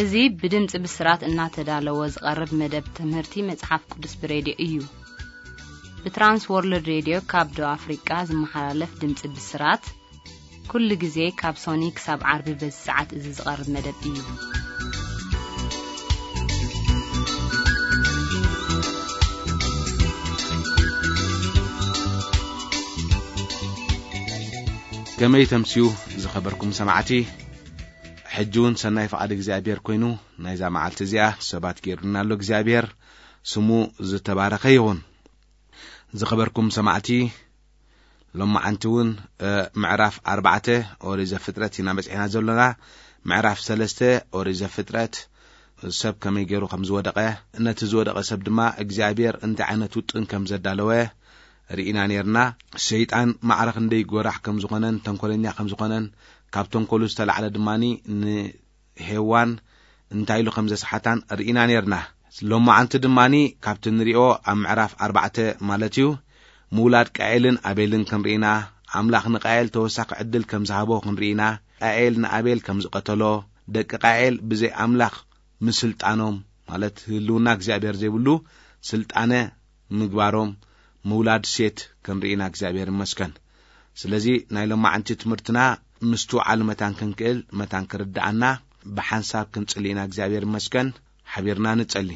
እዚ ብድምፂ ብስራት እናተዳለወ ዝቐርብ መደብ ትምህርቲ መጽሓፍ ቅዱስ ብሬድዮ እዩ። ብትራንስ ወርልድ ሬድዮ ካብ ደቡብ ኣፍሪቃ ዝመሓላለፍ ድምፂ ብስራት፣ ኩሉ ግዜ ካብ ሶኒ ክሳብ ዓርቢ በዚ ሰዓት እዚ ዝቐርብ መደብ እዩ። ከመይ ተምስዩ ዝኸበርኩም ሰማዕቲ? ሕጂ እውን ሰናይ ፍቓድ እግዚኣብሔር ኮይኑ፣ ናይዛ መዓልቲ እዚኣ ሰባት ገይሩና ኣሎ እግዚኣብሔር፣ ስሙ ዝተባረኸ ይኹን። ዝኸበርኩም ሰማዕቲ፣ ሎማዓንቲ እውን፣ እ፣ ምዕራፍ ኣርባዕተ ኦሪት ዘፍጥረት ኢና በጺሕና ዘሎና። ምዕራፍ ሰለስተ ኦሪት ዘፍጥረት ሰብ ከመይ ገይሩ ከም ዝወደቐ፣ ነቲ ዝወደቐ ሰብ ድማ እግዚኣብሔር እንታይ ዓይነት ውጥን ከም ዘዳለወ ርኢና ነይርና። ሰይጣን ማዕረ ክንደይ ጎራሕ ከም ዝኾነን ተንኮለኛ ከም ዝኾነን፣ ካብ ተንኮሉ ዝተላዕለ ድማኒ ን ሄዋን እንታይ ኢሉ ከም ዘስሓታን ርኢና ነርና። ሎማዓንቲ ድማኒ ካብቲ ንሪኦ ኣብ ምዕራፍ ኣርባዕተ ማለት እዩ፣ ምውላድ ቃኤልን ኣቤልን ክንርኢና፣ ኣምላኽ ንቃኤል ተወሳኺ ዕድል ከም ዝሃቦ ክንርኢና፣ ቃኤል ንኣቤል ከም ዝቐተሎ፣ ደቂ ቃኤል ብዘይ ኣምላኽ ምስልጣኖም፣ ማለት ህልውና እግዚኣብሔር ዘይብሉ ስልጣነ ምግባሮም፣ ምውላድ ሴት ክንርኢና እግዚኣብሔር ይመስገን። ስለዚ ናይ ሎማዓንቲ ትምህርትና ምስትውዓል መታን ክንክእል፣ መታን ክርድኣና ብሓንሳብ ክንጽሊ ኢና። እግዚኣብሔር ይመስገን። ሓቢርና ንጸሊ።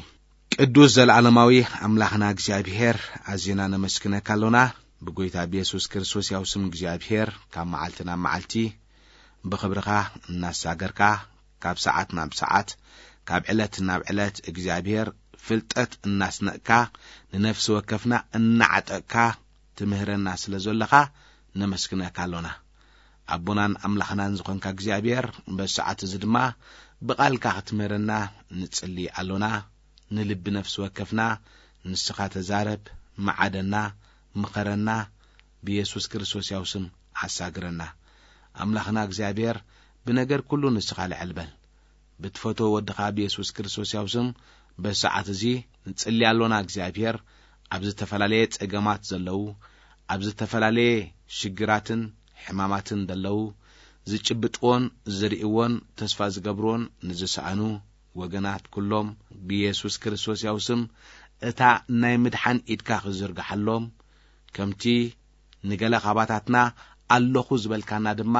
ቅዱስ ዘለዓለማዊ ኣምላኽና እግዚኣብሔር፣ ኣዚና ነመስግነካ ኣሎና። ብጎይታ ብየሱስ ክርስቶስ ያው ስም እግዚኣብሔር ካብ መዓልቲ ናብ መዓልቲ ብኽብርኻ እናሳገርካ፣ ካብ ሰዓት ናብ ሰዓት፣ ካብ ዕለት ናብ ዕለት እግዚኣብሔር ፍልጠት እናስነቕካ፣ ንነፍሲ ወከፍና እናዓጠቕካ ትምህረና ስለ ዘለኻ ነመስግነካ ኣሎና። ኣቦናን ኣምላኽናን ዝኾንካ እግዚኣብሔር፣ በዚ ሰዓት እዚ ድማ ብቓልካ ክትምህረና ንጽሊ ኣሎና። ንልቢ ነፍሲ ወከፍና ንስኻ ተዛረብ፣ መዓደና፣ ምኸረና፣ ብየሱስ ክርስቶስ ያው ስም ኣሳግረና። ኣምላኽና እግዚኣብሔር፣ ብነገር ኩሉ ንስኻ ልዕል በል። ብትፈትዎ ወድኻ ብየሱስ ክርስቶስ ያው ስም በዚ ሰዓት እዚ ንጽሊ ኣሎና። እግዚኣብሔር፣ ኣብ ዝተፈላለየ ጸገማት ዘለዉ፣ ኣብ ዝተፈላለየ ሽግራትን ሕማማትን ዘለዉ፣ ዝጭብጥዎን ዝርእይዎን ተስፋ ዝገብርዎን ንዝሰኣኑ ወገናት ኩሎም ብየሱስ ክርስቶስ ያው ስም እታ ናይ ምድሓን ኢድካ ክዝርግሓሎም፣ ከምቲ ንገለ ካባታትና ኣለኹ ዝበልካና ድማ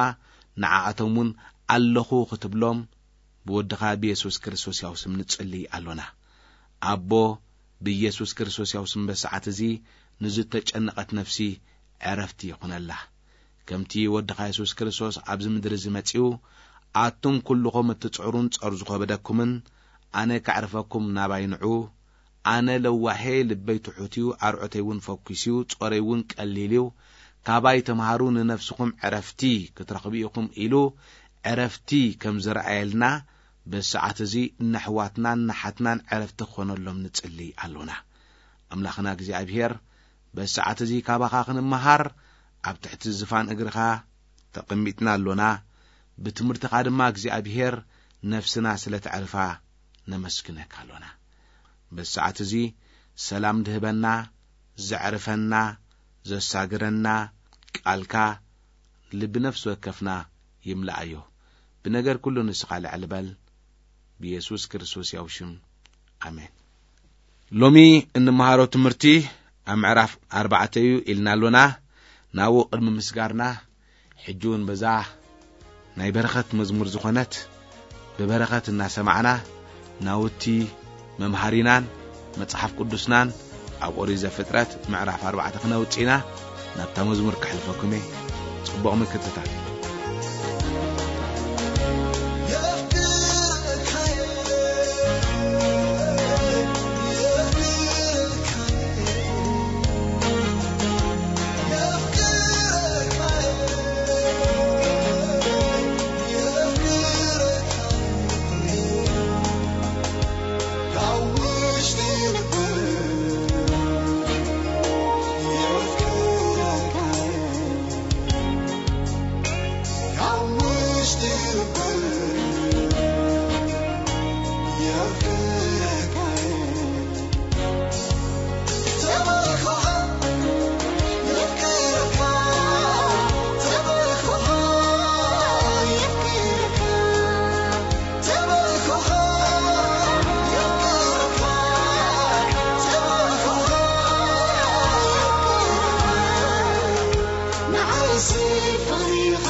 ንዓኣቶም እውን ኣለኹ ክትብሎም ብወድኻ ብየሱስ ክርስቶስ ያው ስም ንጽሊ ኣሎና። ኣቦ፣ ብየሱስ ክርስቶስ ያው ስም በሰዓት እዚ ንዝተጨነቐት ነፍሲ ዕረፍቲ ይኹነላ። ከምቲ ወድኻ የሱስ ክርስቶስ ኣብዚ ምድሪ እዚ መጺኡ፣ ኣቱም ኩልኹም እትጽዕሩን ጸር ዝኸበደኩምን፣ ኣነ ከዕርፈኩም ናባይ ንዑ፣ ኣነ ለዋሄ፣ ልበይ ትሑት እዩ፣ ኣርዑተይ እውን ፈኲስ እዩ፣ ጾረይ እውን ቀሊል እዩ፣ ካባይ ተምሃሩ፣ ንነፍስኹም ዕረፍቲ ክትረኽቡ ኢኹም ኢሉ ዕረፍቲ ከም ዝረኣየልና፣ በዚ ሰዓት እዚ ንኣሕዋትናን ንሓትናን ዕረፍቲ ክኾነሎም ንጽሊ ኣሎና። ኣምላኽና እግዚኣብሔር፣ በዚ ሰዓት እዚ ካባኻ ክንመሃር ኣብ ትሕቲ ዝፋን እግርኻ ተቐሚጥና ኣሎና። ብትምህርትኻ ድማ እግዚኣብሔር ነፍስና ስለ ተዕርፋ ነመስግነካ ኣሎና። በዚ ሰዓት እዚ ሰላም ድህበና፣ ዘዕርፈና፣ ዘሳግረና ቃልካ ልቢ ነፍሲ ወከፍና ይምልኣዮ። ብነገር ኩሉ ንስኻ ልዕል በል። ብየሱስ ክርስቶስ ያው ሽም፣ ኣሜን። ሎሚ እንመሃሮ ትምህርቲ ኣብ ምዕራፍ ኣርባዕተ እዩ ኢልና ኣሎና። ናብኡ ቅድሚ ምስጋርና፣ ሕጂ እውን በዛ ናይ በረኸት መዝሙር ዝኾነት፣ ብበረኸት እናሰማዕና ናውቲ መምሃሪናን መጽሓፍ ቅዱስናን ኣብ ኦሪት ዘፍጥረት ምዕራፍ ኣርባዕተ ክነውጽእ ኢና። ናብታ መዝሙር ከሕልፈኩም እየ። ጽቡቕ ምክትታል። ፍቕሪኻ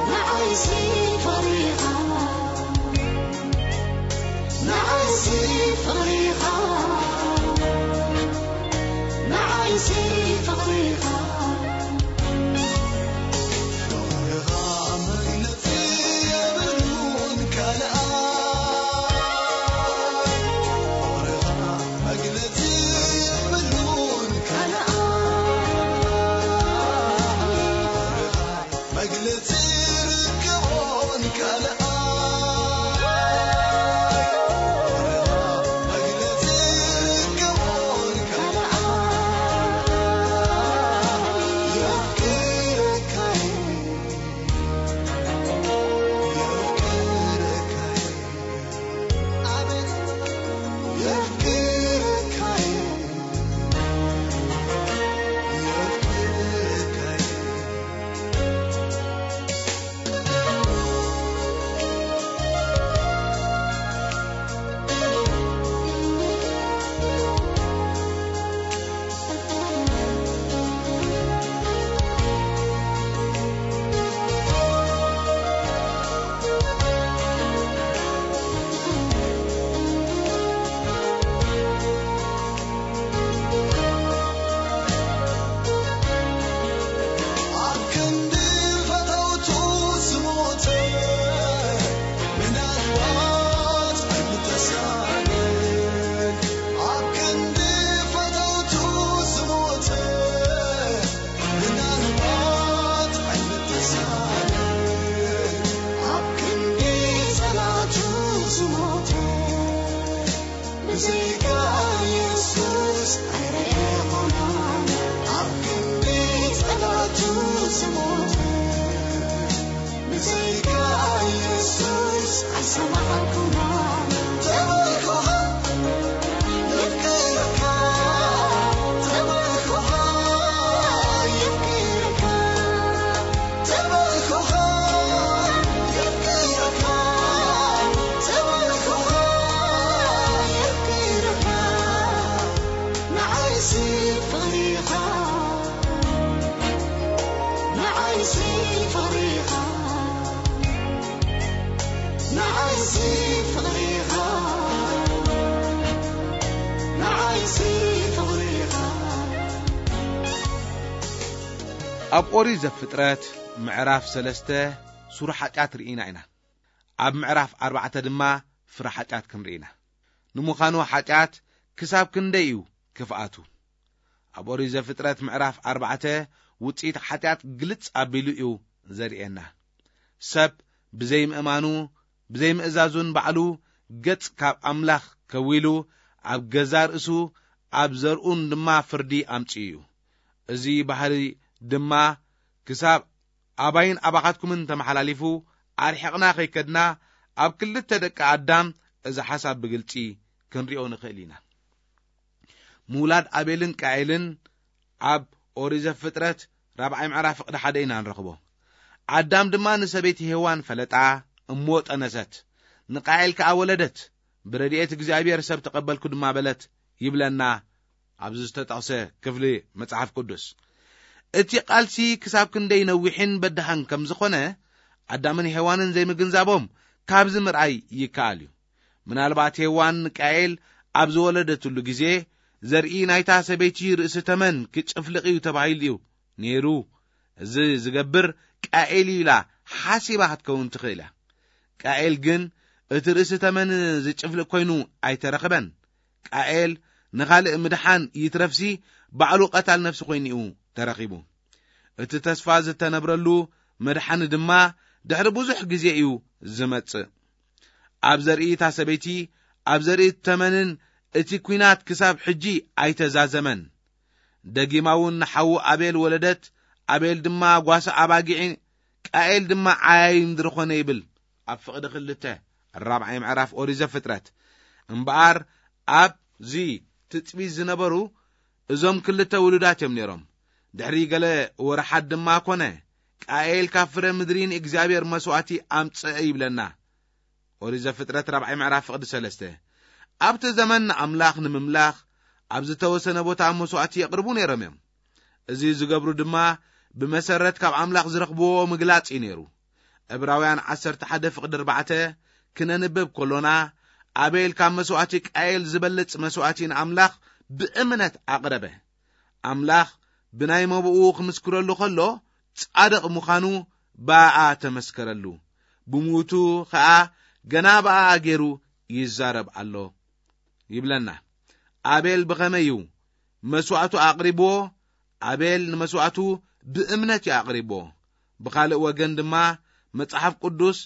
ንዓይሲ ፍቕሪኻ ንዓይሲ ፍቕሪኻ ንዓይሲ ፍቕሪኻ ፍቕርኻ መግለጺ የብሉን ካልኣ ፍቕርኻ መግለጺ የብሉን ካልኣ ፍቕርኻ መግለጺ ርከቦን ካልኣ ፍቕርኻ መግለጺ ርከቦን ካልኣ የፍቅረካይ ኣብ ኦሪት ዘፍጥረት ምዕራፍ ሰለስተ ሱር ሓጢኣት ርኢና ኢና። ኣብ ምዕራፍ ኣርባዕተ ድማ ፍረ ሓጢኣት ክንርኢ ኢና። ንምዃኑ ሓጢኣት ክሳብ ክንደይ እዩ ክፍኣቱ? ኣብ ኦሪት ዘፍጥረት ምዕራፍ ኣርባዕተ ውጽኢት ሓጢኣት ግልጽ ኣቢሉ እዩ ዘርእየና። ሰብ ብዘይምእማኑ ብዘይምእዛዙን ባዕሉ ገጽ ካብ ኣምላኽ ከዊሉ ኣብ ገዛ ርእሱ ኣብ ዘርኡን ድማ ፍርዲ ኣምጺኡ እዩ። እዚ ባህሪ ድማ ክሳብ ኣባይን ኣባኻትኩምን ተመሓላሊፉ ኣርሒቕና ከይከድና ኣብ ክልተ ደቂ ኣዳም እዚ ሓሳብ ብግልጺ ክንሪኦ ንኽእል ኢና። ምውላድ ኣቤልን ቃኤልን ኣብ ኦሪት ዘፍጥረት ራብዓይ ምዕራፍ ፍቕዲ ሓደ ኢና ንረኽቦ። ኣዳም ድማ ንሰበይቲ ሄዋን ፈለጣ እሞ ጠነሰት፣ ንቃኤል ከኣ ወለደት። ብረድኤት እግዚኣብሔር ሰብ ተቐበልኩ ድማ በለት ይብለና ኣብዚ ዝተጠቕሰ ክፍሊ መጽሓፍ ቅዱስ። እቲ ቃልሲ ክሳብ ክንደይ ነዊሕን በዳህን ከም ዝኾነ ኣዳምን ሄዋንን ዘይምግንዛቦም ካብዚ ምርኣይ ይከኣል እዩ። ምናልባት ሄዋን ንቃኤል ኣብ ዝወለደትሉ ግዜ ዘርኢ ናይታ ሰበይቲ ርእሲ ተመን ክጭፍልቕ እዩ ተባሂሉ እዩ ነይሩ። እዚ ዝገብር ቃኤል እዩ ኢላ ሓሲባ ክትከውን ትኽእል እያ። ቃኤል ግን እቲ ርእሲ ተመን ዝጭፍልቕ ኮይኑ ኣይተረኽበን። ቃኤል ንኻልእ ምድሓን ይትረፍሲ ባዕሉ ቀታል ነፍሲ ኮይኑ እዩ ተረኺቡ። እቲ ተስፋ ዝተነብረሉ መድሓኒ ድማ ድሕሪ ብዙሕ ግዜ እዩ ዝመጽእ። ኣብ ዘርኢ እታ ሰበይቲ ኣብ ዘርኢ ተመንን እቲ ኲናት ክሳብ ሕጂ ኣይተዛዘመን። ደጊማ እውን ንሓዉ ኣቤል ወለደት። ኣቤል ድማ ጓሳ ኣባጊዒ፣ ቃኤል ድማ ዓያዩ ምድሪ ኾነ ይብል። ኣብ ፍቕዲ ክልተ ራብዓይ ምዕራፍ ኦሪት ዘፍጥረት። እምበኣር ኣብዚ ትጽቢት ዝነበሩ እዞም ክልተ ውሉዳት እዮም ነይሮም። ድሕሪ ገለ ወርሓት ድማ ኮነ፣ ቃኤል ካብ ፍረ ምድሪ ንእግዚኣብሔር መስዋእቲ ኣምጽአ ይብለና። ኦሪት ዘፍጥረት ራብዓይ ምዕራፍ ፍቕዲ ሰለስተ። ኣብቲ ዘመን ንኣምላኽ ንምምላኽ ኣብ ዝተወሰነ ቦታ መስዋእቲ የቕርቡ ነይሮም እዮም። እዚ ዝገብሩ ድማ ብመሰረት ካብ ኣምላኽ ዝረኽብዎ ምግላጽ እዩ ነይሩ። ዕብራውያን ዓሰርተ ሓደ ፍቕዲ ኣርባዕተ ክነንብብ ከሎና፣ ኣቤል ካብ መስዋዕቲ ቃየል ዝበልጽ መስዋዕቲ ንኣምላኽ ብእምነት ኣቕረበ። ኣምላኽ ብናይ መብኡ ክምስክረሉ ከሎ፣ ጻድቕ ምዃኑ ብኣኣ ተመስከረሉ። ብሞቱ ኸኣ ገና ብኣኣ ገይሩ ይዛረብ ኣሎ ይብለና። ኣቤል ብኸመይ እዩ መስዋዕቱ ኣቕሪብዎ? ኣቤል ንመስዋዕቱ ብእምነት እዩ ኣቕሪብዎ። ብኻልእ ወገን ድማ መጽሓፍ ቅዱስ፣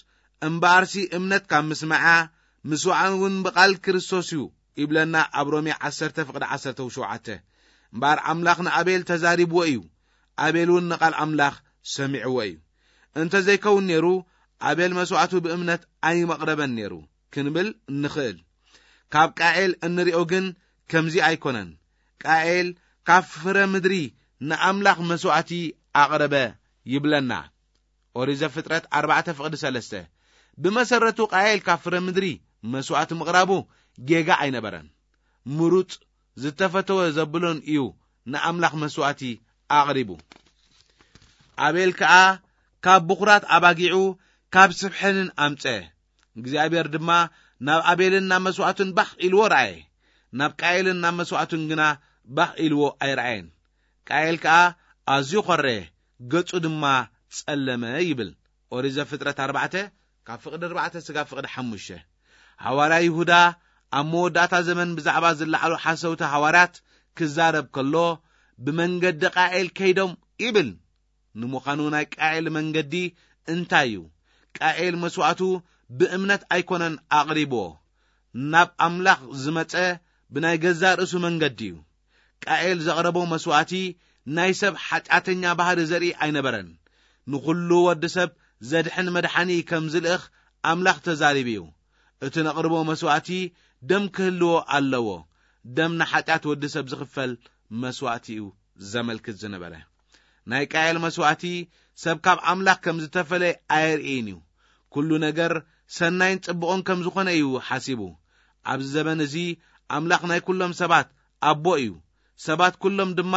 "እምበኣርሲ እምነት ካብ ምስማዓ፣ ምስማዕ እውን ብቓል ክርስቶስ እዩ" ይብለና ኣብ ሮሜ ዓሰርተ ፍቕዲ ዓሰርተ ሸውዓተ። እምበኣር ኣምላኽ ንኣቤል ተዛሪብዎ እዩ፣ ኣቤል እውን ንቓል ኣምላኽ ሰሚዕዎ እዩ። እንተ ዘይከውን ነይሩ፣ ኣቤል መስዋዕቱ ብእምነት ኣይመቕረበን ነይሩ ክንብል ንኽእል። ካብ ቃኤል እንሪኦ ግን ከምዚ ኣይኮነን። ቃኤል ካብ ፍረ ምድሪ ንኣምላኽ መስዋዕቲ ኣቕረበ ይብለና። ኦሪት ዘፍጥረት ኣርባዕተ ፍቕዲ ሰለስተ። ብመሰረቱ ቃኤል ካብ ፍረ ምድሪ መስዋዕቲ ምቕራቡ ጌጋ ኣይነበረን። ምሩጽ ዝተፈተወ ዘብሎን እዩ ንኣምላኽ መስዋዕቲ ኣቕሪቡ። ኣቤል ከኣ ካብ ብኹራት ኣባጊዑ ካብ ስብ ሕንን ኣምጸ። እግዚኣብሔር ድማ ናብ ኣቤልን ናብ መስዋዕቱን ባኽ ኢልዎ ረኣየ። ናብ ቃኤልን ናብ መስዋዕቱን ግና ባኽ ኢልዎ ኣይረኣየን። ቃኤል ከኣ ኣዝዩ ኾረየ፣ ገጹ ድማ ጸለመ ይብል። ኦሪት ዘፍጥረት ኣርባዕተ ካብ ፍቕዲ ኣርባዕተ ስጋብ ፍቕዲ ሓሙሽተ። ሃዋርያ ይሁዳ ኣብ መወዳእታ ዘመን ብዛዕባ ዝለዓሉ ሓሰውቲ ሃዋርያት ክዛረብ ከሎ፣ "ብመንገዲ ቃኤል ከይዶም" ይብል። ንምዃኑ ናይ ቃኤል መንገዲ እንታይ እዩ? ቃኤል መስዋዕቱ ብእምነት ኣይኮነን ኣቕሪብዎ። ናብ ኣምላኽ ዝመጸ ብናይ ገዛእ ርእሱ መንገዲ እዩ። ቃኤል ዘቕረቦ መስዋዕቲ ናይ ሰብ ሓጢኣተኛ ባህሪ ዘርኢ ኣይነበረን። ንኹሉ ወዲ ሰብ ዘድሕን መድሓኒ ከም ዝልእኽ ኣምላኽ ተዛሪቡ እዩ። እቲ ነቕርቦ መስዋዕቲ ደም ክህልዎ ኣለዎ። ደም ንሓጢኣት ወዲ ሰብ ዝኽፈል መስዋዕቲ እዩ ዘመልክት ዝነበረ። ናይ ቃኤል መስዋዕቲ ሰብ ካብ ኣምላኽ ከም ዝተፈለየ ኣየርእይን እዩ። ኩሉ ነገር ሰናይን ጽቡቕን ከም ዝኾነ እዩ ሓሲቡ። ኣብዚ ዘበን እዚ ኣምላኽ ናይ ኩሎም ሰባት ኣቦ እዩ። ሰባት ኩሎም ድማ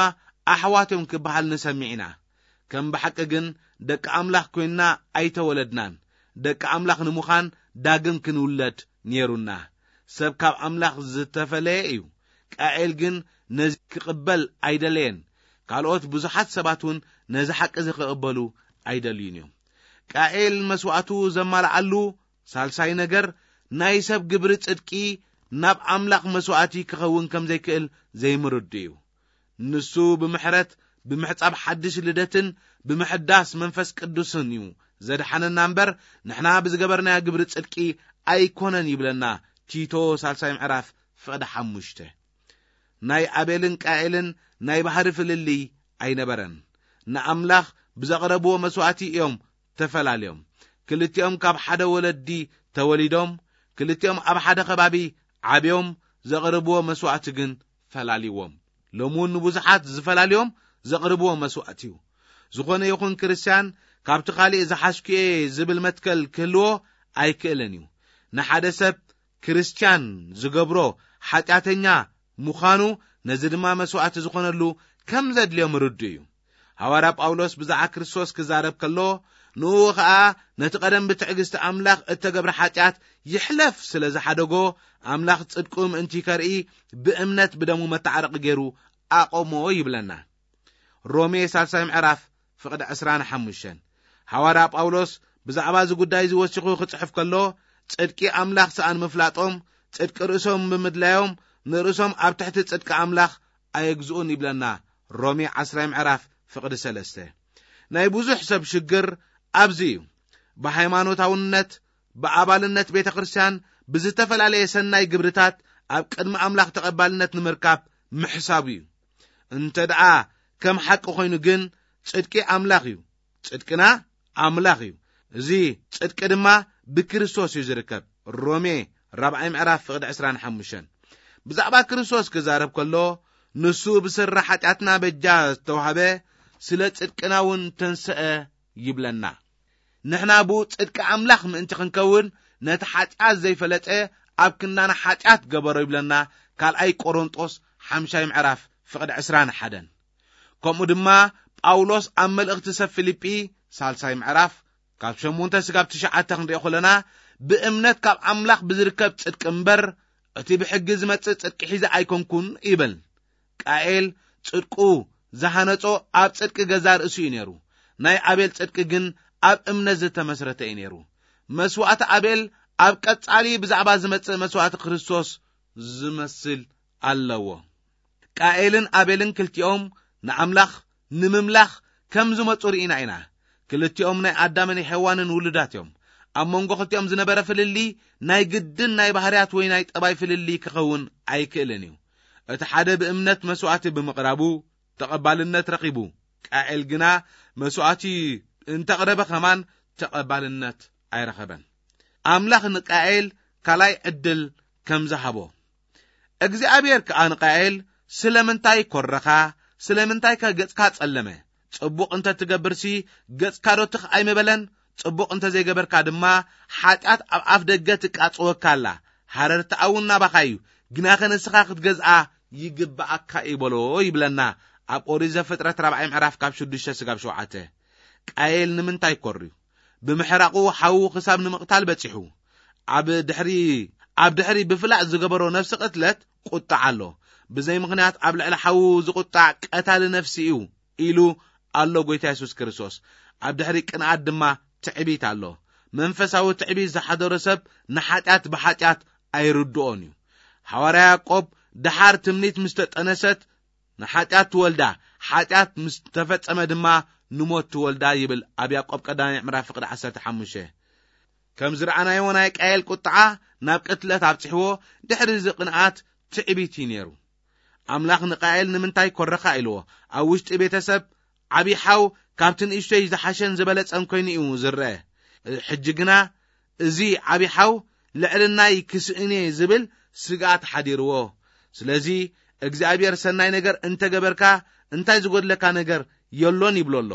ኣሕዋት እዮም ክበሃል ንሰምዕ ኢና። ከም ብሓቂ ግን ደቂ ኣምላኽ ኮይንና ኣይተወለድናን። ደቂ ኣምላኽ ንምዃን ዳግም ክንውለድ ነይሩና። ሰብ ካብ ኣምላኽ ዝተፈለየ እዩ። ቃኤል ግን ነዚ ክቕበል ኣይደለየን። ካልኦት ብዙሓት ሰባት እውን ነዚ ሓቂ እዚ ክቕበሉ ኣይደልዩን እዮም። ቃኤል መስዋዕቱ ዘማልኣሉ ሳልሳይ ነገር፣ ናይ ሰብ ግብሪ ጽድቂ ናብ ኣምላኽ መስዋዕቲ ክኸውን ከም ዘይክእል ዘይምርዱ እዩ። ንሱ ብምሕረት፣ ብምሕጻብ ሓድሽ ልደትን ብምሕዳስ መንፈስ ቅዱስን እዩ ዘድሓነና እምበር፣ ንሕና ብዝገበርናዮ ግብሪ ጽድቂ ኣይኮነን ይብለና ቲቶ ሳልሳይ ምዕራፍ ፍቕዲ ሓሙሽተ። ናይ ኣቤልን ቃኤልን ናይ ባህሪ ፍልልይ ኣይነበረን። ንኣምላኽ ብዘቕረብዎ መስዋዕቲ እዮም ተፈላልዮም። ክልቲኦም ካብ ሓደ ወለዲ ተወሊዶም፣ ክልቲኦም ኣብ ሓደ ከባቢ ዓብዮም፣ ዘቕርብዎ መስዋዕቲ ግን ፈላልይዎም። ሎሚ እውን ንብዙሓት ዝፈላልዮም ዘቕርብዎ መስዋዕቲ እዩ። ዝኾነ ይኹን ክርስትያን ካብቲ ካሊእ ዝሓሽኩ እየ ዝብል መትከል ክህልዎ ኣይክእልን እዩ። ንሓደ ሰብ ክርስትያን ዝገብሮ ሓጢኣተኛ ምዃኑ፣ ነዚ ድማ መስዋዕቲ ዝኾነሉ ከም ዘድልዮ ምርዱ እዩ። ሃዋርያ ጳውሎስ ብዛዕባ ክርስቶስ ክዛረብ ከሎ፣ ንኡ ኸኣ ነቲ ቀደም ብትዕግስቲ ኣምላኽ እተገብረ ሓጢኣት ይሕለፍ ስለ ዝሓደጎ፣ ኣምላኽ ጽድቁ ምእንቲ ከርኢ ብእምነት ብደሙ መተዓረቂ ገይሩ ኣቆሞ ይብለና። ሮሜ ሳልሳይ ምዕራፍ ፍቕዲ ዕስራን ሓሙሽተን። ሃዋርያ ጳውሎስ ብዛዕባ እዚ ጉዳይ እዚ ወሲኹ ክጽሕፍ ከሎ፣ ጽድቂ ኣምላኽ ሰኣን ምፍላጦም፣ ጽድቂ ርእሶም ብምድላዮም፣ ንርእሶም ኣብ ትሕቲ ጽድቂ ኣምላኽ ኣየግዝኡን ይብለና። ሮሜ ዓስራይ ምዕራፍ ፍቕዲ ሰለስተ። ናይ ብዙሕ ሰብ ሽግር ኣብዚ እዩ። ብሃይማኖታውነት፣ ብኣባልነት ቤተ ክርስቲያን፣ ብዝተፈላለየ ሰናይ ግብርታት ኣብ ቅድሚ ኣምላኽ ተቐባልነት ንምርካብ ምሕሳቡ እዩ። እንተ ደኣ ከም ሓቂ ኮይኑ ግን፣ ጽድቂ ኣምላኽ እዩ። ጽድቅና ኣምላኽ እዩ። እዚ ጽድቂ ድማ ብክርስቶስ እዩ ዝርከብ። ሮሜ ራብዓይ ምዕራፍ ፍቕዲ ዕስራን ሓሙሽተን። ብዛዕባ ክርስቶስ ክዛረብ ከሎ፣ ንሱ ብስረ ሓጢኣትና በጃ ዝተዋህበ፣ ስለ ጽድቅና እውን ተንስአ ይብለና። ንሕና ብኡ ጽድቂ ኣምላኽ ምእንቲ ክንከውን፣ ነቲ ሓጢኣት ዘይፈለጠ ኣብ ክንዳና ሓጢኣት ገበሮ ይብለና። ካልኣይ ቆሮንጦስ ሓምሻይ ምዕራፍ ፍቕዲ ዕስራን ሓደን። ከምኡ ድማ ጳውሎስ ኣብ መልእኽቲ ሰብ ፊልጲ ሳልሳይ ምዕራፍ ካብ ሸሞንተ ስጋብ ትሽዓተ ክንሪኦ ከለና፣ ብእምነት ካብ ኣምላኽ ብዝርከብ ጽድቂ እምበር እቲ ብሕጊ ዝመጽእ ጽድቂ ሒዘ ኣይኮንኩን ይብል። ቃኤል ጽድቁ ዝሃነጾ ኣብ ጽድቂ ገዛ ርእሱ እዩ ነይሩ። ናይ ኣቤል ጽድቂ ግን ኣብ እምነት ዝተመስረተ እዩ ነይሩ። መስዋእቲ ኣቤል ኣብ ቀጻሊ ብዛዕባ ዝመጽእ መስዋእቲ ክርስቶስ ዝመስል ኣለዎ። ቃኤልን ኣቤልን ክልቲኦም ንኣምላኽ ንምምላኽ ከም ዝመጹ ርኢና ኢና። ክልቲኦም ናይ ኣዳምን ሔዋንን ውሉዳት እዮም። ኣብ መንጎ ክልቲኦም ዝነበረ ፍልልይ ናይ ግድን ናይ ባህርያት ወይ ናይ ጠባይ ፍልልይ ክኸውን ኣይክእልን እዩ። እቲ ሓደ ብእምነት መስዋእቲ ብምቕራቡ ተቐባልነት ረኺቡ፣ ቃኤል ግና መስዋእቲ እንተቕረበ ከማን ተቐባልነት ኣይረኸበን። ኣምላኽ ንቃኤል ካልኣይ ዕድል ከም ዝሃቦ፣ እግዚኣብሔር ከኣ ንቃኤል፣ "ስለምንታይ ኮረኻ? ስለምንታይ ከ ገጽካ ጸለመ? ጽቡቕ እንተ ትገብርሲ፣ ገጽካ ዶ ትኽ ኣይምበለን? ጽቡቕ እንተ ዘይገበርካ ድማ፣ ሓጢኣት ኣብ ኣፍ ደገ ትቃጽወካ ኣላ። ሃረርታኣ እውን ናባኻ እዩ፣ ግናኸ ንስኻ ክትገዝኣ ይግብኣካ እዩ" በሎ ይብለና ኣብ ኦሪት ዘፍጥረት ራብዓይ ምዕራፍ ካብ ሽዱሽተ ስጋብ ሸውዓተ። ቃየል ንምንታይ ኮርዩ? ብምሕራቑ ሓዉ ክሳብ ንምቕታል በጺሑ። ኣብ ድሕሪ፣ ኣብ ድሕሪ ብፍላጥ ዝገበሮ ነፍሲ ቅትለት ቁጣዕ ኣሎ። ብዘይ ምኽንያት ኣብ ልዕሊ ሓዉ ዝቁጣዕ ቀታሊ ነፍሲ እዩ ኢሉ ኣሎ ጎይታ የሱስ ክርስቶስ። ኣብ ድሕሪ ቅንኣት ድማ ትዕቢት ኣሎ። መንፈሳዊ ትዕቢት ዝሓደሮ ሰብ ንሓጢኣት ብሓጢኣት ኣይርድኦን እዩ። ሓዋርያ ያዕቆብ፣ "ደሓር ትምኒት ምስ ተጠነሰት ንሓጢኣት ትወልዳ፣ ሓጢኣት ምስ ተፈጸመ ድማ ንሞት ትወልዳ" ይብል ኣብ ያዕቆብ ቀዳማይ ምዕራፍ ፍቕዲ ዓሰርተ ሓሙሽተ። ከም ዝረኣናዮ ናይ ቃየል ቁጥዓ ናብ ቅትለት ኣብጽሕዎ፣ ድሕሪ እዚ ቅንኣት ትዕቢት እዩ ነይሩ። ኣምላኽ ንቃየል ንምንታይ ኮረኻ ኢልዎ። ኣብ ውሽጢ ቤተሰብ ዓቢ ሓው ካብቲ ንእሽቶይ ዝሓሸን ዝበለጸን ኮይኑ እዩ ዝረአ። ሕጂ ግና እዚ ዓቢ ሓው ልዕልናይ ክስእን እየ ዝብል ስግኣት ሓዲርዎ። ስለዚ እግዚኣብሔር ሰናይ ነገር እንተገበርካ እንታይ ዝጎድለካ ነገር የሎን ይብሎ ኣሎ።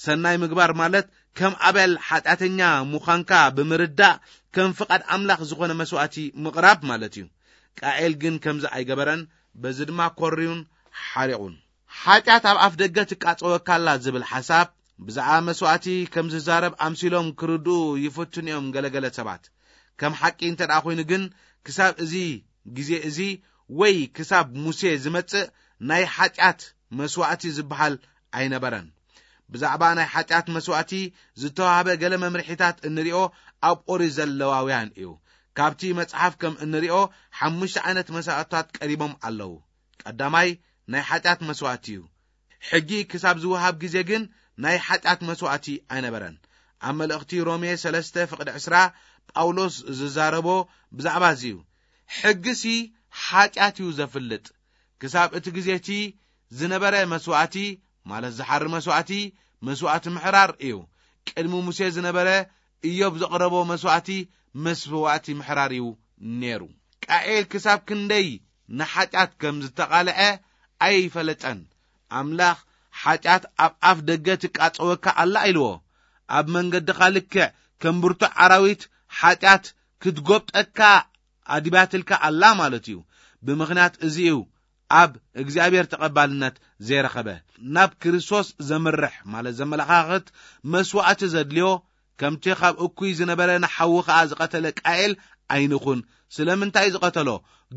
ሰናይ ምግባር ማለት ከም ኣቤል ሓጢኣተኛ ምዃንካ ብምርዳእ ከም ፍቓድ ኣምላኽ ዝኾነ መስዋእቲ ምቕራብ ማለት እዩ። ቃኤል ግን ከምዚ ኣይገበረን፣ በዚ ድማ ኮርዩን ሓሪቑን። ሓጢኣት ኣብ ኣፍ ደገ ትቃጸወካ ኣላ ዝብል ሓሳብ ብዛዕባ መስዋእቲ ከም ዝዛረብ ኣምሲሎም ክርድኡ ይፍትኑ እዮም ገለገለ ሰባት። ከም ሓቂ እንተ ደኣ ኮይኑ ግን ክሳብ እዚ ግዜ እዚ ወይ ክሳብ ሙሴ ዝመጽእ ናይ ሓጢኣት መስዋእቲ ዝበሃል ኣይነበረን። ብዛዕባ ናይ ሓጢኣት መስዋእቲ ዝተዋህበ ገለ መምርሒታት እንሪኦ ኣብ ኦሪት ዘለዋውያን እዩ። ካብቲ መጽሓፍ ከም እንሪኦ ሓሙሽተ ዓይነት መስዋእትታት ቀሪቦም ኣለዉ። ቀዳማይ ናይ ሓጢኣት መስዋእቲ እዩ። ሕጊ ክሳብ ዝወሃብ ግዜ ግን ናይ ሓጢኣት መስዋእቲ ኣይነበረን። ኣብ መልእኽቲ ሮሜ ሰለስተ ፍቕዲ ዕስራ ጳውሎስ ዝዛረቦ ብዛዕባ እዚ እዩ። ሕጊሲ ሓጢኣት እዩ ዘፍልጥ። ክሳብ እቲ ግዜ እቲ ዝነበረ መስዋእቲ፣ ማለት ዝሓሪ መስዋእቲ፣ መስዋእቲ ምሕራር እዩ። ቅድሚ ሙሴ ዝነበረ ኢዮብ ዘቕረቦ መስዋእቲ መስዋእቲ ምሕራር እዩ ነይሩ። ቃኤል ክሳብ ክንደይ ንሓጢኣት ከም ዝተቓልዐ ኣይፈለጠን። ኣምላኽ ሓጢኣት ኣብ ኣፍ ደገ ትቃጸወካ ኣላ ኢልዎ። ኣብ መንገድኻ ልክዕ ከም ብርቱዕ ኣራዊት ሓጢኣት ክትጎብጠካ ኣድባትልካ ኣላ ማለት እዩ። ብምኽንያት እዚ እዩ ኣብ እግዚኣብሔር ተቐባልነት ዘይረኸበ። ናብ ክርስቶስ ዘምርሕ ማለት ዘመለኻኽት መስዋእቲ ዘድልዮ፣ ከምቲ ካብ እኩይ ዝነበረ ንሓዉ ኸኣ ዝቐተለ ቃኤል ኣይንኹን። ስለምንታይ ዝቐተሎ?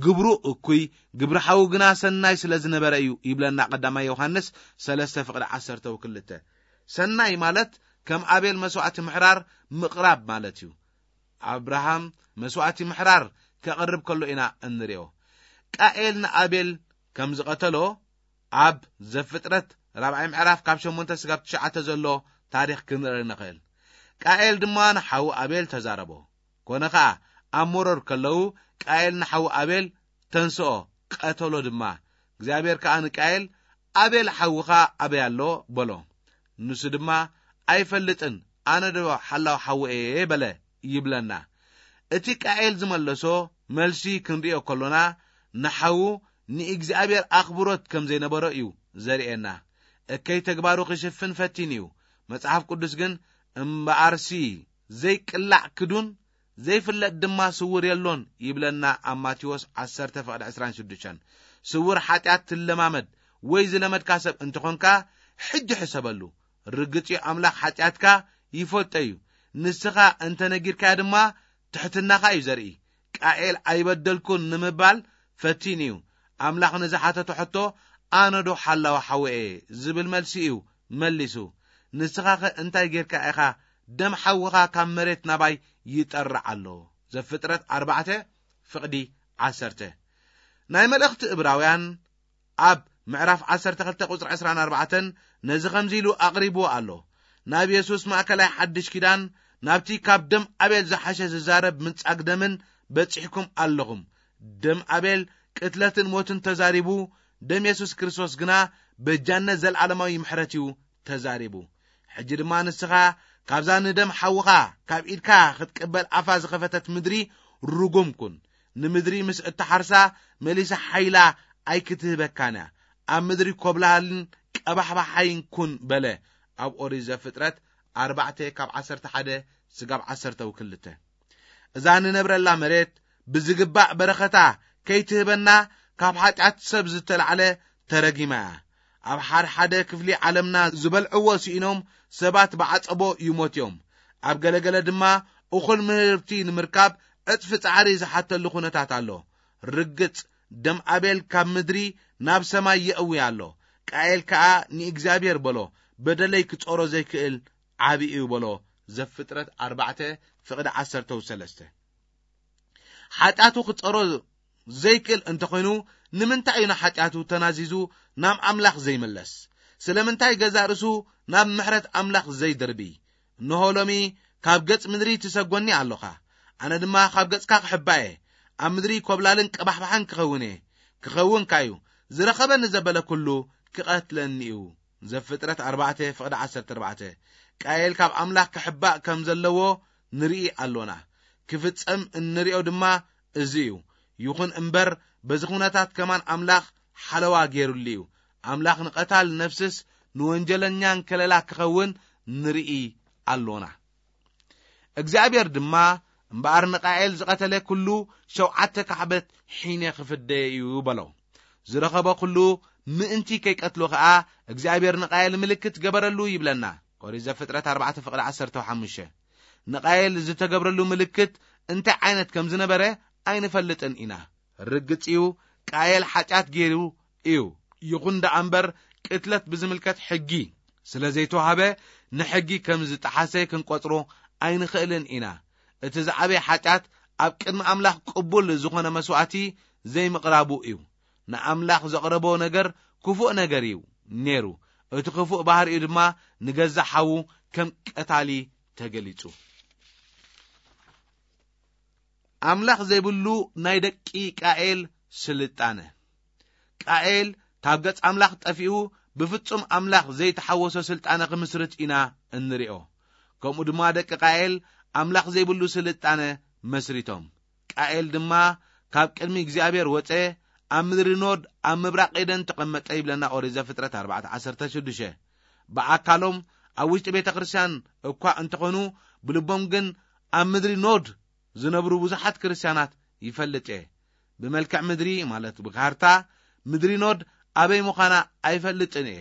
ግብሩ እኩይ፣ ግብሪ ሓዉ ግና ሰናይ ስለ ዝነበረ እዩ ይብለና ቀዳማይ ዮሃንስ ሰለስተ ፍቕዲ ዓሰርተ ወክልተ። ሰናይ ማለት ከም ኣቤል መስዋእቲ ምሕራር ምቕራብ ማለት እዩ። ኣብርሃም መስዋእቲ ምሕራር ከቕርብ ከሎ ኢና እንሪኦ። ቃኤል ንኣቤል ከም ዝቐተሎ ኣብ ዘፍጥረት ራብዓይ ምዕራፍ ካብ ሸሞንተ ስጋብ ትሽዓተ ዘሎ ታሪኽ ክንርኢ ንኽእል። ቃኤል ድማ ንሓዉ ኣቤል ተዛረቦ። ኮነ ኸኣ ኣብ መሮር ከለዉ ቃኤል ንሓዉ ኣቤል ተንስኦ፣ ቀተሎ ድማ። እግዚኣብሔር ከኣ ንቃኤል፣ "ኣቤል ሓውኻ ኣበይ ኣሎ?" በሎ። ንሱ ድማ፣ "ኣይፈልጥን፣ ኣነ ዶ ሓላው ሓዉ እየ?" በለ ይብለና። እቲ ቃኤል ዝመለሶ መልሲ ክንርእዮ ከሎና፣ ንሓዉ ንእግዚኣብሔር ኣኽብሮት ከም ዘይነበሮ እዩ ዘርእየና። እከይ ተግባሩ ክሽፍን ፈቲኑ እዩ። መጽሓፍ ቅዱስ ግን፣ "እምበኣርሲ ዘይቅላዕ ክዱን ዘይፍለጥ ድማ ስውር የሎን" ይብለና ኣብ ማቴዎስ ዓሰርተ ፍቕዲ ዕስራን ሽዱሽተን። ስውር ሓጢኣት ትለማመድ ወይ ዝለመድካ ሰብ እንተኾንካ፣ ሕጂ ሕሰበሉ። ርግጽ እዩ፣ ኣምላኽ ሓጢኣትካ ይፈልጦ እዩ። ንስኻ እንተ ነጊርካዮ ድማ፣ ትሕትናኻ እዩ ዘርኢ። ቃኤል ኣይበደልኩን ንምባል ፈቲኑ እዩ። ኣምላኽ ንዝሓተቶ ሕቶ፣ "ኣነ ዶ ሓላዊ ሓወየ?" ዝብል መልሲ እዩ መሊሱ። ንስኻኸ እንታይ ጌርካ ኢኻ ደም ሓውኻ ካብ መሬት ናባይ ይጠርዕ ኣሎ? ዘፍጥረት ኣርባዕተ ፍቕዲ ዓሰርተ። ናይ መልእኽቲ እብራውያን ኣብ ምዕራፍ ዓሰርተ ክልተ ቁጽሪ ዕስራን ኣርባዕተን ነዚ ከምዚ ኢሉ ኣቕሪብዎ ኣሎ። ናብ የሱስ ማእከላይ ሓድሽ ኪዳን፣ ናብቲ ካብ ደም ኣቤል ዝሓሸ ዝዛረብ ምንጻግ ደምን በጺሕኩም ኣለኹም። ደም ኣቤል ቅትለትን ሞትን ተዛሪቡ፣ ደም የሱስ ክርስቶስ ግና በጃነት ዘልዓለማዊ ምሕረት እዩ ተዛሪቡ። ሕጂ ድማ ንስኻ ካብዛ ንደም ሓውኻ ካብ ኢድካ ክትቅበል ኣፋ ዝኸፈተት ምድሪ ርጉም ኩን። ንምድሪ ምስ እትሓርሳ መሊሳ ሓይላ ኣይክትህበካን እያ። ኣብ ምድሪ ኮብላሃልን ቀባሕባሓይን ኩን በለ። ኣብ ኦሪት ዘፍጥረት ኣርባዕተ ካብ ዓሰርተ ሓደ ስጋብ ዓሰርተ ክልተ። እዛ ንነብረላ መሬት ብዝግባእ በረኸታ ከይትህበና ካብ ሓጢኣት ሰብ ዝተላዕለ ተረጊማ እያ። ኣብ ሓደ ሓደ ክፍሊ ዓለምና ዝበልዕዎ ስኢኖም ሰባት ብዓጸቦ ይሞት እዮም። ኣብ ገለገለ ድማ እኹል ምህርቲ ንምርካብ ዕጽፊ ጻዕሪ ዝሓተሉ ኩነታት ኣሎ። ርግጽ፣ ደም ኣቤል ካብ ምድሪ ናብ ሰማይ የእዊ ኣሎ። ቃኤል ከኣ ንእግዚኣብሔር በሎ፣ "በደለይ ክጾሮ ዘይክእል ዓቢ እዩ" በሎ። ዘፍጥረት ኣርባዕተ ፍቕዲ ዓሰርተ ሰለስተ። ሓጢኣቱ ክጸሮ ዘይክእል እንተኾይኑ፣ ንምንታይ እዩ ንሓጢኣቱ ተናዚዙ ናብ ኣምላኽ ዘይምለስ? ስለምንታይ ገዛእ ርእሱ ናብ ምሕረት ኣምላኽ ዘይድርቢ? እንሆ ሎሚ ካብ ገጽ ምድሪ ትሰጎኒ ኣሎኻ፣ ኣነ ድማ ካብ ገጽካ ክሕባእ እየ። ኣብ ምድሪ ኮብላልን ቀባሕባሕን ክኸውን እየ። ክኸውን ካዩ፣ ዝረኸበኒ ዘበለ ኩሉ ክቐትለኒ እዩ። ዘፍጥረት ኣርባዕተ ፍቕዲ ዓሰርተ ኣርባዕተ። ቃየል ካብ ኣምላኽ ክሕባእ ከም ዘለዎ ንርኢ ኣሎና። ክፍጸም እንርእዮ ድማ እዚ እዩ። ይኹን እምበር፣ በዚ ኩነታት ከማን ኣምላኽ ሓለዋ ገይሩሉ እዩ። ኣምላኽ ንቐታል ነፍስስ ንወንጀለኛን ከለላ ክኸውን ንርኢ ኣሎና። እግዚኣብሔር ድማ፣ "እምበኣር ንቃኤል ዝቐተለ ኩሉ ሸውዓተ ካዕበት ሒነ ክፍደዮ እዩ" በሎ። ዝረኸቦ ኩሉ ምእንቲ ከይቀትሎ ኸኣ፣ እግዚኣብሔር ንቃኤል ምልክት ገበረሉ ይብለና። ኦሪት ዘፍጥረት ኣርባዕተ ፍቕዲ ዓሰርተ ሓሙሽተ። ንቃኤል ዝተገብረሉ ምልክት እንታይ ዓይነት ከም ዝነበረ ኣይንፈልጥን ኢና። ርግጽ እዩ፣ ቃኤል ሓጢኣት ገይሩ እዩ። ይኹን ደኣ እምበር፣ ቅትለት ብዝምልከት ሕጊ ስለ ዘይተዋህበ፣ ንሕጊ ከም ዝጠሓሰ ክንቆጽሮ ኣይንኽእልን ኢና። እቲ ዝዓበየ ሓጢኣት ኣብ ቅድሚ ኣምላኽ ቅቡል ዝኾነ መስዋእቲ ዘይምቕራቡ እዩ። ንኣምላኽ ዘቕረቦ ነገር ክፉእ ነገር እዩ ነይሩ። እቲ ክፉእ ባህሪኡ ድማ ንገዛእ ሓዉ ከም ቀታሊ ተገሊጹ። ኣምላኽ ዘይብሉ ናይ ደቂ ቃኤል ስልጣነ። ቃኤል ካብ ገጽ ኣምላኽ ጠፊኡ፣ ብፍጹም ኣምላኽ ዘይተሓወሶ ስልጣነ ክምስርት ኢና እንሪኦ። ከምኡ ድማ ደቂ ቃኤል ኣምላኽ ዘይብሉ ስልጣነ መስሪቶም። ቃኤል ድማ ካብ ቅድሚ እግዚኣብሔር ወጸ፣ ኣብ ምድሪ ኖድ ኣብ ምብራቕ ኤደን ተቐመጠ ይብለና ኦሪት ዘፍጥረት ኣርባዕተ ዓሰርተ ሽዱሽተ። ብኣካሎም ኣብ ውሽጢ ቤተ ክርስቲያን እኳ እንተኾኑ፣ ብልቦም ግን ኣብ ምድሪ ኖድ ዝነብሩ ብዙሓት ክርስቲያናት ይፈልጥ እየ። ብመልክዕ ምድሪ፣ ማለት ብካርታ፣ ምድሪ ኖድ ኣበይ ምዃና ኣይፈልጥን እየ።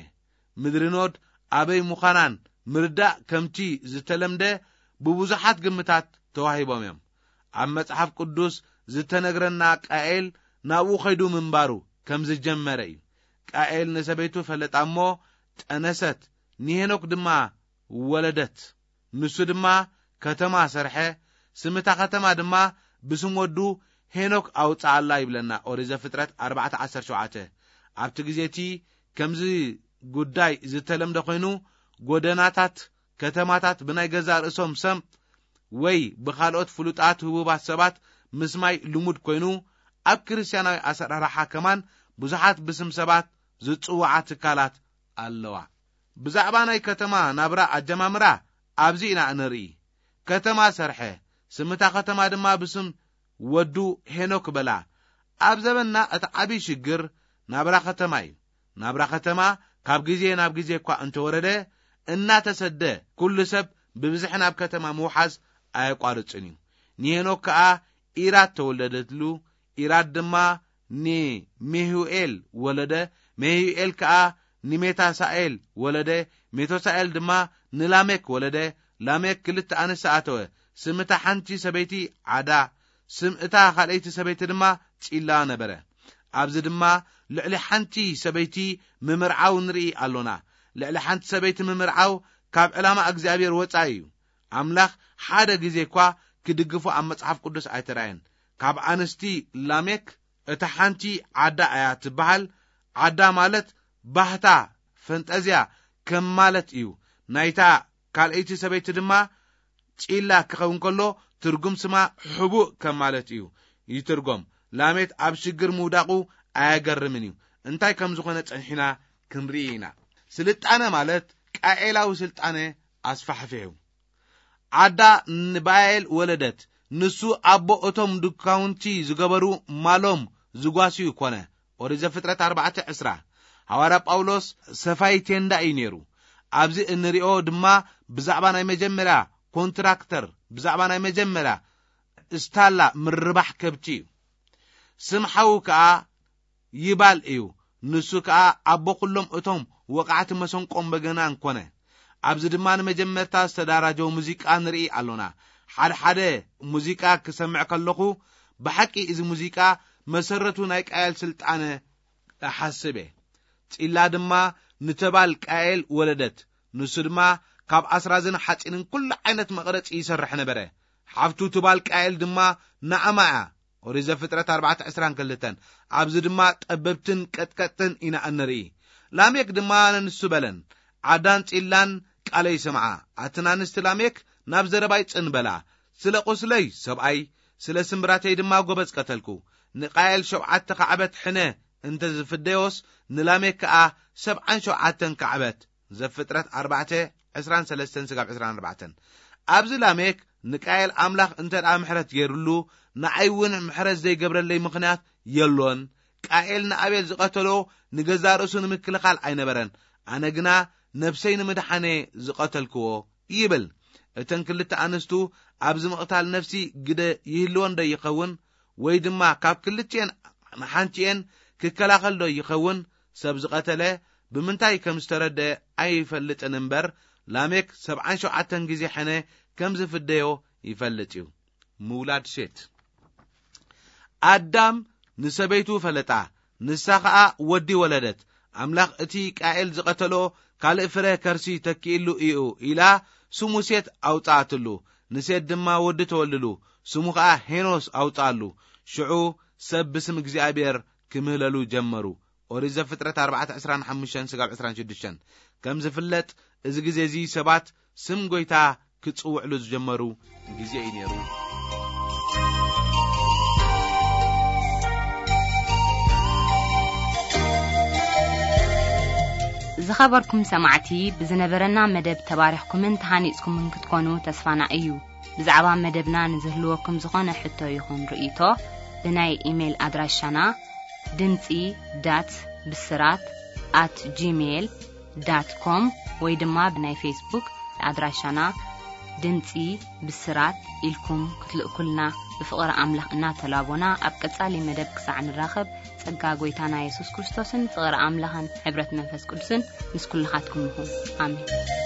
ምድሪ ኖድ ኣበይ ምዃናን ምርዳእ ከምቲ ዝተለምደ ብብዙሓት ግምታት ተዋሂቦም እዮም። ኣብ መጽሓፍ ቅዱስ ዝተነግረና ቃኤል ናብኡ ኸይዱ ምንባሩ ከም ዝጀመረ እዩ። ቃኤል ንሰበይቱ ፈለጣ እሞ ጠነሰት፣ ንሄኖክ ድማ ወለደት። ንሱ ድማ ከተማ ሰርሐ፣ ስም እታ ከተማ ድማ ብስም ወዱ ሄኖክ ኣውጽኣላ ይብለና ኦሪት ዘፍጥረት ኣርባዕተ ዓሰርተ ሸውዓተ። ኣብቲ ግዜ እቲ ከምዚ ጉዳይ ዝተለምደ ኮይኑ፣ ጎደናታት ከተማታት ብናይ ገዛእ ርእሶም ሰም ወይ ብኻልኦት ፍሉጣት ህቡባት ሰባት ምስማይ ልሙድ ኮይኑ፣ ኣብ ክርስትያናዊ ኣሰራርሓ ከማን ብዙሓት ብስም ሰባት ዝጽውዓ ትካላት ኣለዋ። ብዛዕባ ናይ ከተማ ናብራ ኣጀማምራ ኣብዚ ኢና እንርኢ። ከተማ ሰርሐ፣ ስም እታ ከተማ ድማ ብስም ወዱ ሄኖክ በላ። ኣብ ዘበንና እቲ ዓብዪ ሽግር ናብራ ከተማ እዩ። ናብራ ከተማ ካብ ግዜ ናብ ግዜ እኳ እንተወረደ፣ እናተሰደ ኩሉ ሰብ ብብዝሒ ናብ ከተማ ምውሓዝ ኣየቋርጽን እዩ። ንሄኖክ ከኣ ኢራድ ተወለደትሉ፣ ኢራድ ድማ ንሜሁኤል ወለደ፣ ሜሁኤል ከኣ ንሜታሳኤል ወለደ፣ ሜቶሳኤል ድማ ንላሜክ ወለደ። ላሜክ ክልተ ኣንስቲ ኣተወ። ስም እታ ሓንቲ ሰበይቲ ዓዳ፣ ስም እታ ካልኣይቲ ሰበይቲ ድማ ጺላ ነበረ። ኣብዚ ድማ ልዕሊ ሓንቲ ሰበይቲ ምምርዓው ንርኢ ኣሎና። ልዕሊ ሓንቲ ሰበይቲ ምምርዓው ካብ ዕላማ እግዚኣብሔር ወጻኢ እዩ። ኣምላኽ ሓደ ግዜ እኳ ክድግፎ ኣብ መጽሓፍ ቅዱስ ኣይተራእየን። ካብ ኣንስቲ ላሜክ እታ ሓንቲ ዓዳ እያ ትበሃል። ዓዳ ማለት ባህታ፣ ፈንጠዝያ ከም ማለት እዩ። ናይታ ካልኣይቲ ሰበይቲ ድማ ጺላ ክኸውን ከሎ ትርጉም ስማ ሕቡእ ከም ማለት እዩ ይትርጎም። ላሜክ ኣብ ሽግር ምውዳቑ ኣያገርምን እዩ። እንታይ ከም ዝኾነ ጸኒሕና ክንርኢ ኢና። ስልጣነ ማለት ቃኤላዊ ስልጣነ ኣስፋሕፊሑ። ዓዳ ንባኤል ወለደት። ንሱ ኣቦ እቶም ድካውንቲ ዝገበሩ ማሎም ዝጓስዩ ኮነ። ኦሪት ዘፍጥረት ኣርባዕተ ዕስራ። ሃዋርያ ጳውሎስ ሰፋይ ቴንዳ እዩ ነይሩ። ኣብዚ እንሪኦ ድማ ብዛዕባ ናይ መጀመርያ ኮንትራክተር፣ ብዛዕባ ናይ መጀመርያ እስታላ ምርባሕ ከብቲ እዩ። ስም ሓዉ ከኣ ይባል እዩ። ንሱ ከኣ ኣቦ ኩሎም እቶም ወቃዕቲ መሰንቆን በገናን ኮነ። ኣብዚ ድማ ንመጀመርታ ዝተዳራጀወ ሙዚቃ ንርኢ ኣሎና። ሓደ ሓደ ሙዚቃ ክሰምዕ ከለኹ፣ ብሓቂ እዚ ሙዚቃ መሰረቱ ናይ ቃየል ስልጣነ እሓስብ እየ። ጺላ ድማ ንተባል ቃየል ወለደት። ንሱ ድማ ካብ ኣስራዝን ሓጺንን ኩሉ ዓይነት መቕረጺ ይሰርሕ ነበረ። ሓፍቱ ትባል ቃየል ድማ ናዕማ እያ። ኦሪት ዘፍጥረት ኣርባዕተ ዕስራን ክልተን። ኣብዚ ድማ ጠበብትን ቀጥቀጥትን ኢና እንርኢ። ላሜክ ድማ ነንሱ በለን፣ ዓዳን ጺላን ቃለይ ስምዓ። ኣትን ኣንስቲ ላሜክ ናብ ዘረባይ ጽን በላ። ስለ ቁስለይ ሰብኣይ፣ ስለ ስምብራተይ ድማ ጎበዝ ቀተልኩ። ንቃየል ሸውዓተ ካዕበት ሕነ እንተ ዝፍደዮስ፣ ንላሜክ ከኣ ሰብዓን ሸውዓተን ካዕበት። ዘፍጥረት ኣርባዕተ ዕስራን ሰለስተን ስጋብ ዕስራን ኣርባዕተን። ኣብዚ ላሜክ ንቃየል ኣምላኽ እንተ ደኣ ምሕረት ገይሩሉ፣ ንዓይ እውን ምሕረት ዘይገብረለይ ምኽንያት የሎን። ቃኤል ንኣቤል ዝቐተሎ ንገዛእ ርእሱ ንምክልኻል ኣይነበረን፣ ኣነ ግና ነብሰይ ንምድሓነ ዝቐተልክዎ ይብል። እተን ክልተ ኣንስቱ ኣብዚ ምቕታል ነፍሲ ግደ ይህልወን ዶ ይኸውን? ወይ ድማ ካብ ክልቲኤን ንሓንቲኤን ክከላኸል ዶ ይኸውን? ሰብ ዝቐተለ ብምንታይ ከም ዝተረደ ኣይፈልጥን እምበር፣ ላሜክ ሰብዓን ሸውዓተን ግዜ ሕነ ከም ዝፍደዮ ይፈልጥ እዩ። ምውላድ ሴት። ኣዳም ንሰበይቱ ፈለጣ፣ ንሳ ኸኣ ወዲ ወለደት። ኣምላኽ እቲ ቃኤል ዝቐተሎ ካልእ ፍረ ከርሲ ተኪእሉ እዩ ኢላ ስሙ ሴት ኣውጽኣትሉ። ንሴት ድማ ወዲ ተወልሉ፣ ስሙ ኸኣ ሄኖስ ኣውጽኣሉ። ሽዑ ሰብ ብስም እግዚኣብሔር ክምህለሉ ጀመሩ። ኦሪት ዘፍጥረት ኣርባዕተ ዕስራን ሓሙሽተን ስጋብ ዕስራን ሽዱሽተን። ከም ዝፍለጥ፣ እዚ ግዜ እዚ ሰባት ስም ጐይታ ክጽውዕሉ ዝጀመሩ ግዜ እዩ ነይሩ። ዝኸበርኩም ሰማዕቲ፣ ብዝነበረና መደብ ተባሪኽኩምን ተሃኒጽኩምን ክትኮኑ ተስፋና እዩ። ብዛዕባ መደብና ንዝህልወኩም ዝኾነ ሕቶ ይኹን ርእይቶ፣ ብናይ ኢሜይል ኣድራሻና ድምጺ ዳት ብስራት ኣት ጂሜይል ዳት ኮም ወይ ድማ ብናይ ፌስቡክ ኣድራሻና ድምጺ ብስራት ኢልኩም ክትልእኩልና ብፍቕሪ ኣምላኽ እናተላቦና፣ ኣብ ቀጻሊ መደብ ክሳዕ ንራኸብ፣ ጸጋ ጐይታና የሱስ ክርስቶስን ፍቕሪ ኣምላኽን ሕብረት መንፈስ ቅዱስን ምስ ኩልኻትኩም ይኹን። ኣሜን።